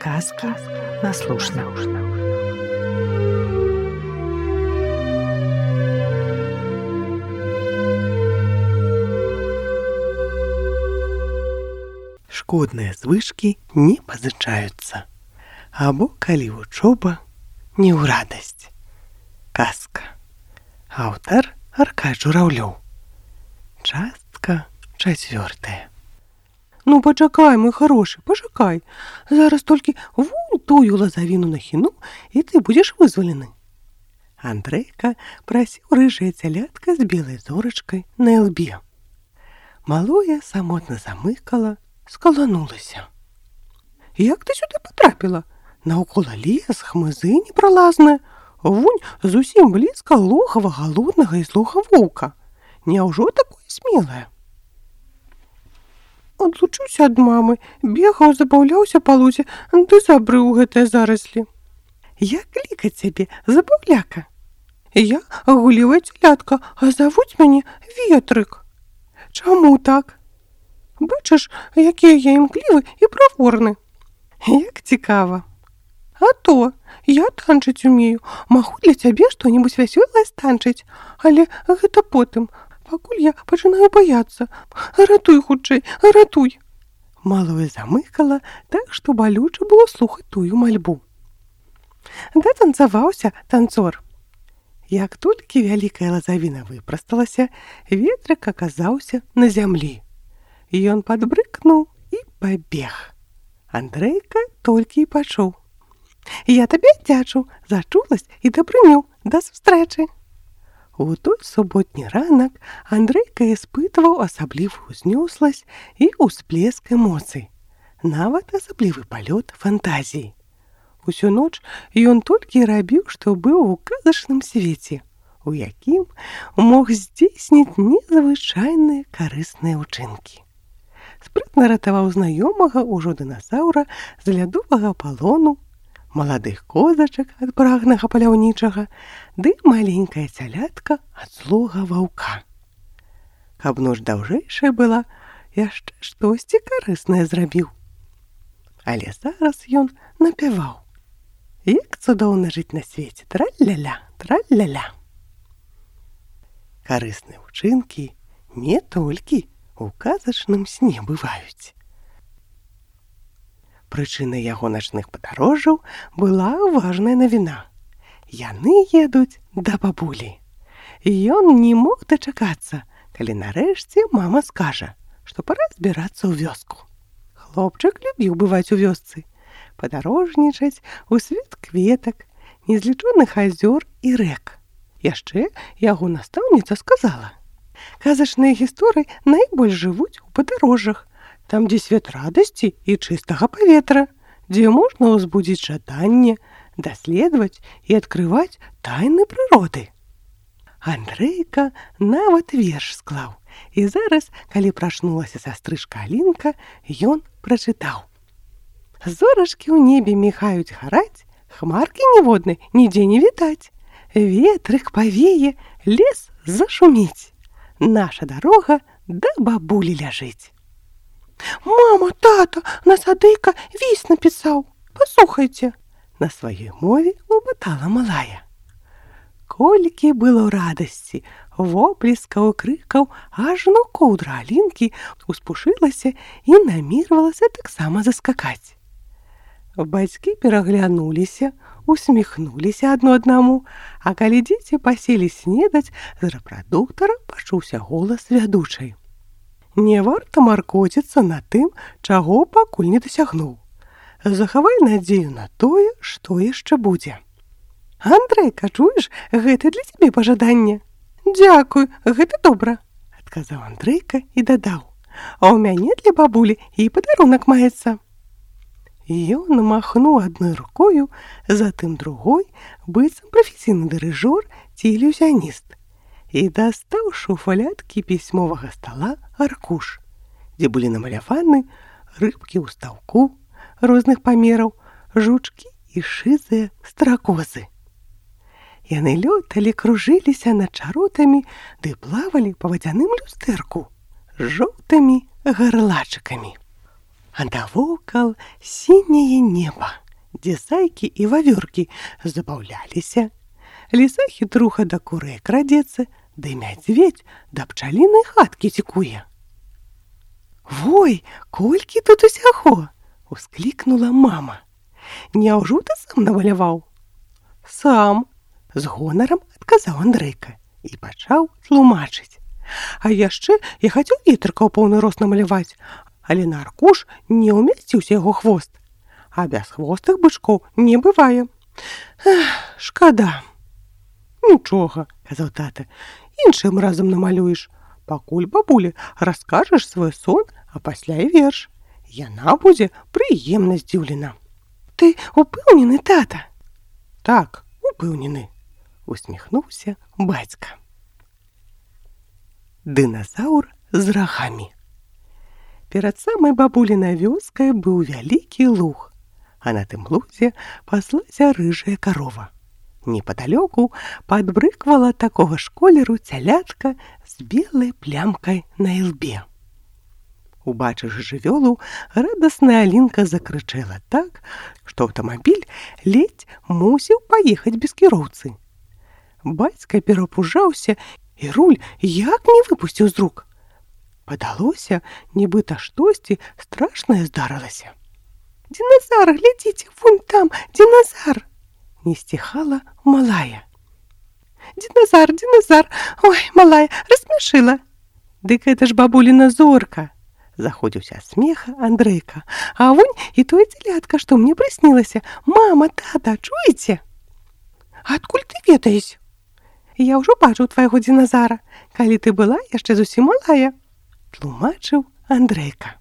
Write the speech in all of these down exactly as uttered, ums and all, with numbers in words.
Сказки на слушна. Шкодныя звычкі не пазычаюцца. Або калі вучоба, не ў радасць. Казка. Аўтар Аркадий Журавлёў. Частка чацвёртая. Ну, пачакай, мой хорошы, пачакай. Зараз толькі вунь тую лазавіну нахіну, і ты будзеш вызвалены. Андрейка прасіў рыжае цялятка з белай зорачкай на ілбе. Малое самотна замыкала, скаланулася. Як ты сюды патрапіла? Наўкола лес, хмызы непралазныя. Вунь зусім блізка логава галоднага і злога воўка. Няўжо такое смелае? Адлучыўся ад мамы, бегаў, забаўляўся па лузе, ды забрыў гэтыя зараслі. Як клікаць цябе, забаўляка? Я гулівая цялятка, а завуць мяне Ветрык. Чаму так? Бачыш, якія я імклівы і праворны. Як цікава. А то, я танчыць умею, магу для цябе што-небудзь вясёлае станчыць, але гэта потым, пакуль я пачынаю баяцца. Ратуй хутчэй, ратуй. Малое замыкала так, што балюча было слухаць тую мальбу. Датанцаваўся танцор. Як толькі вялікая лазавіна выпрасталася, Ветрык аказаўся на зямлі. Ён падбрыкнуў і пабег. Андрейка толькі і пачуў. Я табе дзячу за чуласць і дабрыню. Да сустрэчы. У той суботні ранак Андрейка испытываў асаблівую ўзнёсласць і ўсплеск эмоцый, нават асаблівы палёт фантазіі. Усю ноч ён толькі рабіў, што быў у казачным свеце, у якім мог здзейсніць незвычайныя карысныя ўчынкі. Спрытна ратаваў знаёмага ўжо дыназаўра з лядовага палону, маладых козачак ад прагнага паляўнічага, ды маленькая цялятка ад злога ваўка. Каб ноч даўжэйшая была, яшчэ штосьці карыснае зрабіў. Але зараз ён напяваў. Як цудоўна жыць на свеце, траль-ля-ля, траль-ля-ля. Карысныя ўчынкі не толькі у казачным сне бываюць. Прычынай яго начных падарожжаў была важная навіна. Яны едуць да бабулі. Ён не мог дачакацца, калі нарэшце мама скажа, што пара збірацца ў вёску. Хлопчык любіў бываць у вёсцы, падарожнічаць у свет кветак, незлічоных азёр і рэк. Яшчэ яго настаўніца сказала: казачныя гісторыі найбольш жывуць у падарожжах, там, дзе свет радасці і чыстага паветра, дзе можна ўзбудзіць жаданне, даследаваць і адкрываць тайны прыроды. Андрейка нават верш склаў, і зараз, калі прачнулася сястрычка Алінка, ён прачытаў. Зорачкі ў небе міхаюць гараць, хмаркі ніводнай нідзе не відаць. Ветрык павее, лес зашуміць. Наша дарога да бабулі ляжыць. Мама, тата, насадыйка віс напісаў. Паслухайце. На сваёй мове лупатала малая. Колькі было радасці, воплескаў, крыкаў, ажно коўдра Алінкі успушылася і намервалася таксама заскакаць. Бацькі пераглянуліся, усміхнуліся адно аднаму, а калі дзеці паселі снедаць, з рэпрадуктара пачуўся голас вядучай. Не варта маркоціцца на тым, чаго пакуль не дасягнуў. Захавай надзею на тое, што яшчэ будзе. Андрейка, чуеш, гэта для цябе пажаданне. Дзякуй, гэта добра, адказаў Андрейка і дадаў. А ў мяне для бабулі і падарунак маецца. Ён махнуў адной рукою, затым другой, быццам прафесійны дырыжор ці ілюзіяніст, і дастаў шуфлядкі пісьмовага стала аркуш, дзе былі намаляваны рыбкі ў стаўку розных памераў, жучкі і шызыя стракозы. Яны лёталі, кружыліся над чаротамі ды плавалі па вадзяным люстэрку з жоўтымі гарлачыкамі. А навокал сіняе неба, дзе зайкі і вавёркі забаўляліся. Ліса хітруха да курэй крадзецца, ды мядзведзь да пчалінай хаткі цікуе. «Вой, колькі тут усяго!» — усклікнула мама. «Няўжо ты сам намаляваў?» «Сам!» — з гонарам адказаў Андрэйка і пачаў тлумачыць. «А яшчэ я хацеў ветрыка ў поўны рост намаляваць, але на аркуш не ўмясціўся яго хвост. А бясхвостых бычкоў не бывае. Эх, шкада!» «Нічога!» — казаў тата. «Іншым разам намалюеш. Пакуль бабулі раскажаш свой сон, а пасля і верш. Яна будзе прыемна здзіўлена». «Ты упэўнены, тата?» «Так, упэўнены», — усміхнуўся бацька. Дыназаўр з рагамі. Перад самай бабулінай вёскай быў вялікі луг, а на тым лузе паслася рыжая карова. Непадалёку падбрыквала такога ж колеру цялятка з белай плямкай на ілбе. Убачыўшы жывёлу, радасная Алінка закрычэла так, што аўтамабіль ледзь мусіў паехаць без кіроўцы. Бацька перапужаўся і руль як не выпусціў з рук. Падалося, нібыта штосьці страшнае здарылася. «Динозар, глядзіце, вунь там, динозар!» Не сціхала малая. «Динозар, динозар! Ой, малая, рассмяшыла!» «Дык гэта ж бабуліна Зорка!» Заходзіўся ад смеха Андрейка. «А вунь і тое цялятка, што мне прыснілася. Мама, тата, чуеце?» «Адкуль ты ведаеш?» «Я ўжо бачыў твайго динозара, калі ты была яшчэ зусім малая», — тлумачыў Андрейка.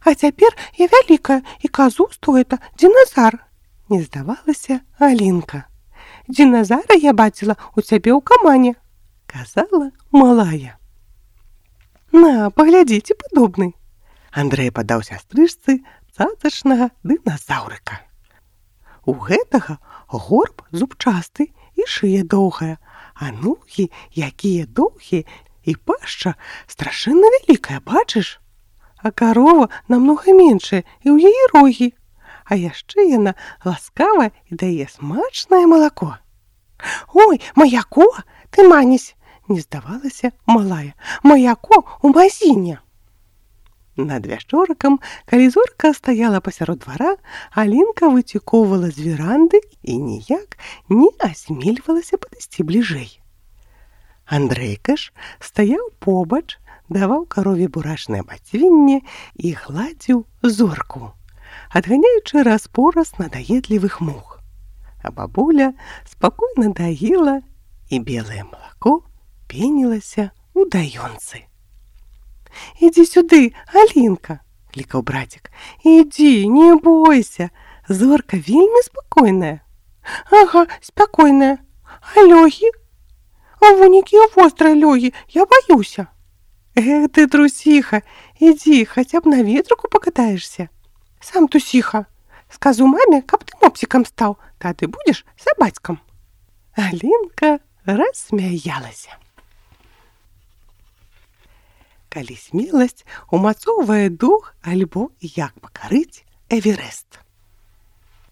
«А цяпер я вялікая і казу, што гэта динозар», — не здавалася Алінка. «Динозара я бачыла у цябе ў камане», — казала малая. «На, паглядзіце, падобны». Андрэй падаў сястрычцы цацачнага дыназаўрыка. У гэтага горб зубчасты і шыя доўгая, а ногі якія доўгія і пашча страшэнна вялікая, бачыш? А карова намнога меншая і ў яе рогі. А яшчэ яна ласкавая і дае смачнае малако». «Ой, маяко, ты манесь!» — не здавалася малая. «Маяко у мазіне!» Над вячоркам, калі Зорка стаяла пасярод двара, Алінка выцікоўвала з веранды і ніяк не асмельвалася падысці бліжэй. Андрейка ж стаяў побач, даваў карове бурачнае бацвінне і гладзіў Зорку, адганяючы распораз надаедлівых мух. А бабуля спакойна даіла, і белае малако пенілася ў даёнцы. «Ідзі сюды, Алінка!» — клікаў братик. «Ідзі, не бойся! Зорка вельмі спакойная». «Ага, спакойная. А лёгі? А вунь якія вострыя лёгі, я баюся». «Эх ты, трусіха, ідзі, хаця б на ветрыку пакатаешся». «Сам тусіха. Скажу маме, каб ты мопсікам стаў, тады будзеш сабацькам». Алінка рассмяялася. Калі смеласць умацоўвае дух альбо як пакарыць Эверест.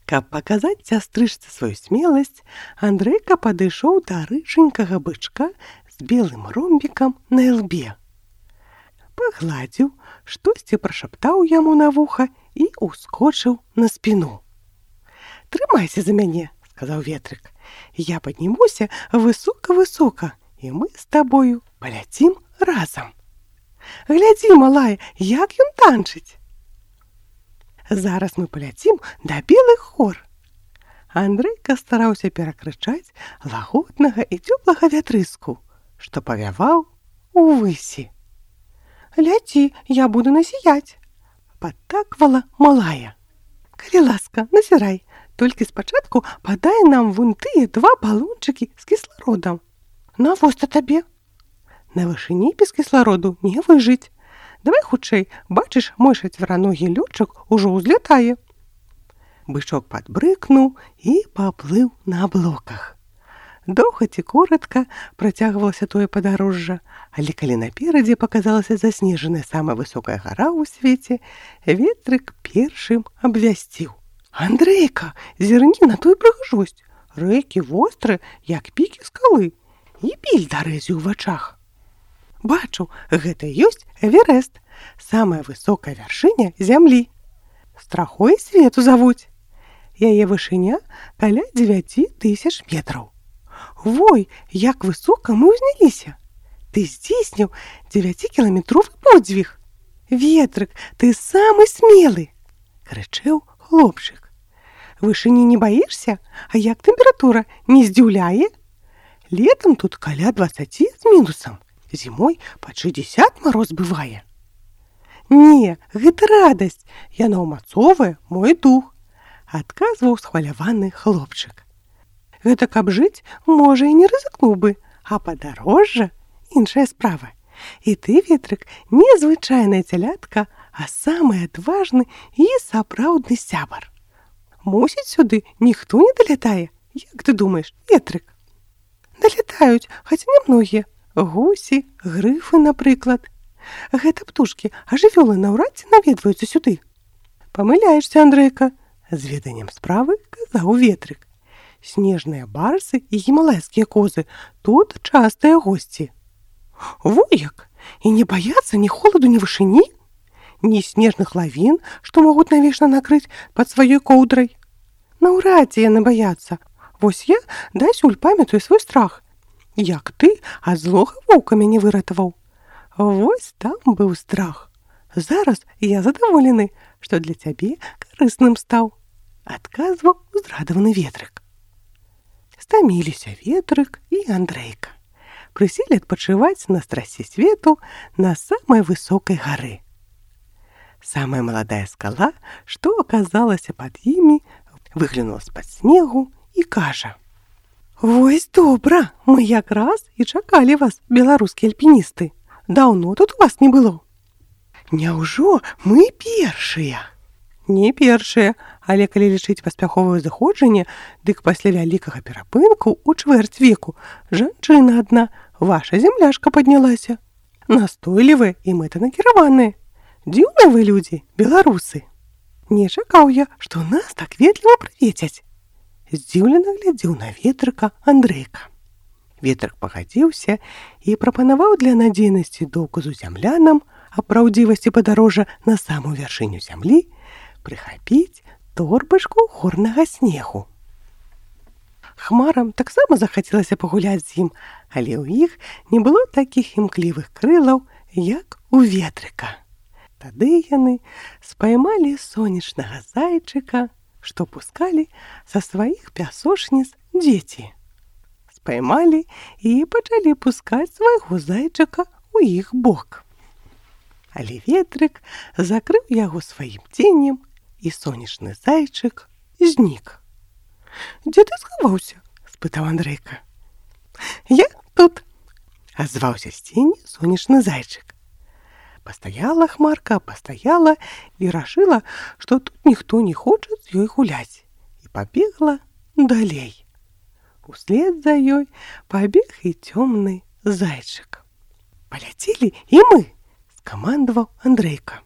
Каб паказаць сястрычцы сваю смеласць, Андрейка падышоў да рыженькага бычка з белым ромбікам на ілбе. Пагладзіў, штосьці прашаптаў яму на вуха і ўскочыў на спіну. «Трымайся за мяне», — сказаў ветрык. «Я паднімуся высока-высока, і мы з табою паляцім разам. Глядзі, малая, як ён танчыць. Зараз мы паляцім да белых гор». Андрейка стараўся перакрычаць лагоднага і цёплага вятрыску, што павяваў увысі. «Ляці, я буду насіяць», — падтаквала малая. «Калі ласка, назірай, толькі спачатку падай нам вунь тыя два балончыкі з кіслародам». «Навошта табе?» «На вышыні без кіслароду не выжыць. Давай хутчэй, бачыш, мой чацвераногі лётчык ужо ўзлятае». Бычок падбрыкнуў і паплыў на аблоках. Доўга ці коротка працягвалася тое падарожжа, але калі наперадзе паказалася заснежаная самая высокая гара ў свеце, ветрык першым абвясціў: «Андрейка, зірні на тую прыгажосць! Рэкі вострыя, як пікі скалы, і біль дарэзі ў вачах. Бачу, гэта ёсць Эверест, самая высокая вяршыня зямлі. Страхой свету завуць. Яе вышыня каля дзевяці тысяч метраў. Вой, як высока мы ўзняліся! Ты здзейсніў дзевяцікіламетровы подзвіг! Ветрык, ты самы смелы!» — крычэў хлопчык. «Вышыні не баішся? А як тэмпература, не здзіўляе? Летам тут каля дваццаці з мінусам, зімой пад шэсцьдзесят мароз бывае». «Не, гэта радасць, яна ўмацоўвае мой дух», — адказваў схваляваны хлопчык. «Гэта каб жыць, можа, і не рызыкнуў бы, а падарожжа — іншая справа. І ты, ветрык, не звычайная цялятка, а самы адважны і сапраўдны сябар. Мусіць, сюды ніхто не далятае, як ты думаеш, ветрык?» «Далятаюць, хаця не многія. Гусі, грыфы, напрыклад. Гэта птушкі, а жывёлы наўрад ці наведваюцца сюды». «Памыляешся, Андрейка», — з веданнем справы казаў ветрык. «Снежныя барсы і гімалайскія козы тут частыя госці». «Во як! І не баяцца ні холаду, ні вышыні? Ні снежных лавін, што могуць навечна накрыць пад сваёй коўдрай? Наўрад ці яны баяцца. Вось я дасюль памятаю свой страх. Як ты ад злога воўка мяне выратаваў. Вось там быў страх. Зараз я задаволены, што для цябе карысным стаў», — адказваў узрадаваны ветрык. Стаміліся ветрык і Андрейка. Прыселі адпачываць на страсе свету на самай высокай гары. Самая маладая скала, што аказалася пад імі, выглянула з-пад снегу і кажа: «Вось добра, мы якраз і чакалі вас, беларускія альпіністы. Даўно тут у вас не было». «Няўжо мы першыя?» «Не першыя, але калі лічыць паспяховае заходжанне, дык пасля вялікага перапынку ў чвэрць веку жанчына адна, ваша зямляшка, паднялася. Настойлівыя і мэтанакіраваныя. Дзіўныя вы людзі, беларусы. Не чакаў я, што нас так ветліва прывецяць». Здзіўлена глядзеў на ветрыка Андрейка. Ветрык пагадзіўся і прапанаваў для надзейнасці доказу зямлянам аб праўдзівасці падарожжа на самую вяршыню зямлі прыхапіць торбачку горнага снегу. Хмарам таксама захацелася пагуляць з ім, але ў іх не было такіх імклівых крылаў, як у ветрыка. Тады яны спаймалі сонечнага зайчыка, што пускалі са сваіх пясочніц дзеці. Спаймалі і пачалі пускаць свайго зайчыка ў іх бок. Але ветрык закрыў яго сваім ценем, і сонечны зайчык знік. «Дзе ты схаваўся?» — спытаў Андрейка. «Я тут», — азваўся з цені сонечны зайчык. Пастаяла хмарка, пастаяла і рашыла, што тут ніхто не хоча з ёй гуляць, і пабегла далей. Услед за ёй пабег і цёмны зайчык. «Паляцелі і мы!» — скамандаваў Андрейка.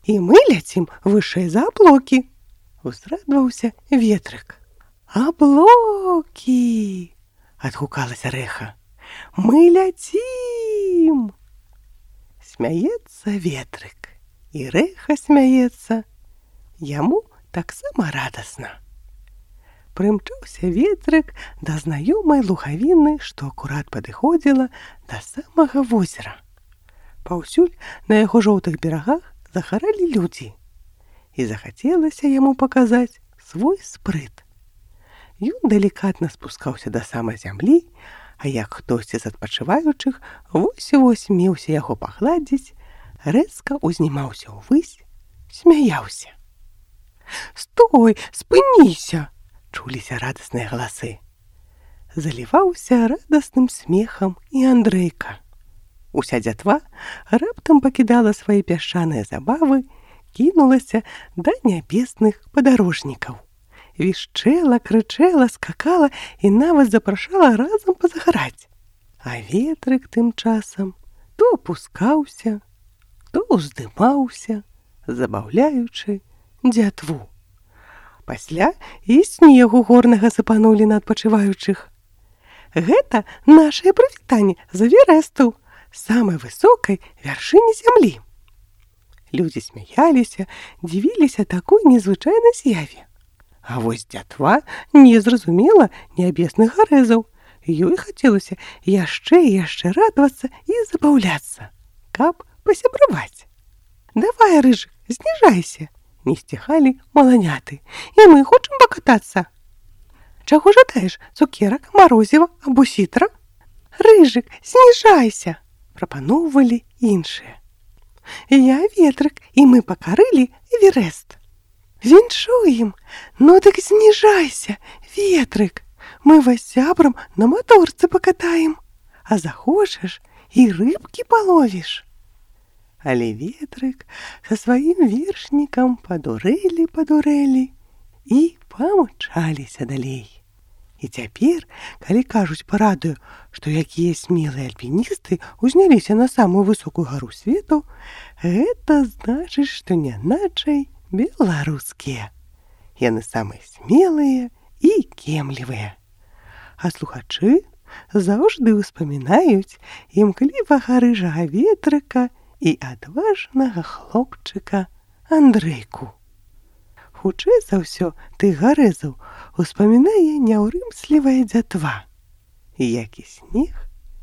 «І мы ляцім вышэй за аблокі!» — узрадаваўся ветрык. «Аблокі!» — адгукалася рэха. «Мы ляцім!» Смяецца ветрык, і рэха смяецца. Яму таксама радасна. Прымчаўся ветрык да знаёмай лугавіны, што акурат падыходзіла да самага возера. Паўсюль на яго жоўтых берагах загаралі людзі, і захацелася яму паказаць свой спрыт. Ён далікатна спускаўся да самай зямлі, а як хтосьці з адпачываючых вось-вось меўся яго пагладзіць, рэзка ўзнімаўся ўвысь, смяяўся. «Стой, спыніся!» — чуліся радасныя галасы. Заліваўся радасным смехам і Андрейка. Уся дзятва раптам пакідала свае пясчаныя забавы, кінулася да нябесных падарожнікаў. вішчэла, крычэла, скакала і нават запрашала разам пазагараць. А ветрык тым часам то опускаўся, то ўздымаўся, забаўляючы дзятву. Пасля і снегу горнага сыпанулі на адпачываючых. Гэта нашае прывітанне з Эверэсту, самай высокай вяршыні зямлі. Людзі смяяліся, дзівіліся такой незвычайнай з'яве. А вось дзятва не зразумела нябесных гарэзаў. Ёй хацелася яшчэ і яшчэ радавацца і забаўляцца, каб пасябраваць. «Давай, Рыжык, зніжайся!» — не сціхалі маланяты. «І мы хочам пакатацца!» «Чаго жадаеш, цукерак, марозіва або сітра?» «Рыжык, зніжайся!» — прапаноўвалі іншыя. «Я ветрык, і мы пакарылі Эверэст!» «Віншуем! Ну дык зніжайся, ветрык! Мы вас сябрам на маторцы пакатаем, а захочаш і рыбкі паловіш!» Але ветрык са сваім вершнікам падурэлі-падурэлі і памчаліся далей. І цяпер, калі кажуць па радыё, што якія смелыя альпіністы ўзняліся на самую высокую гару свету, гэта значыць, што няначай беларускія. Яны самыя смелыя і кемлівыя. А слухачы заўжды ўспамінаюць імклівага рыжага ветрыка і адважнага хлопчыка Андрыйку. Хутчэй за ўсё тых гарэзаў успамінае няўрымслівая дзятва, як і снег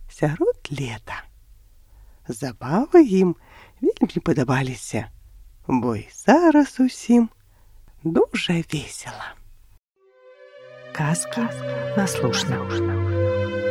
сярод лета. Забавы ім вельмі падабаліся, бо і зараз усім дужа весела. Казки на слушно.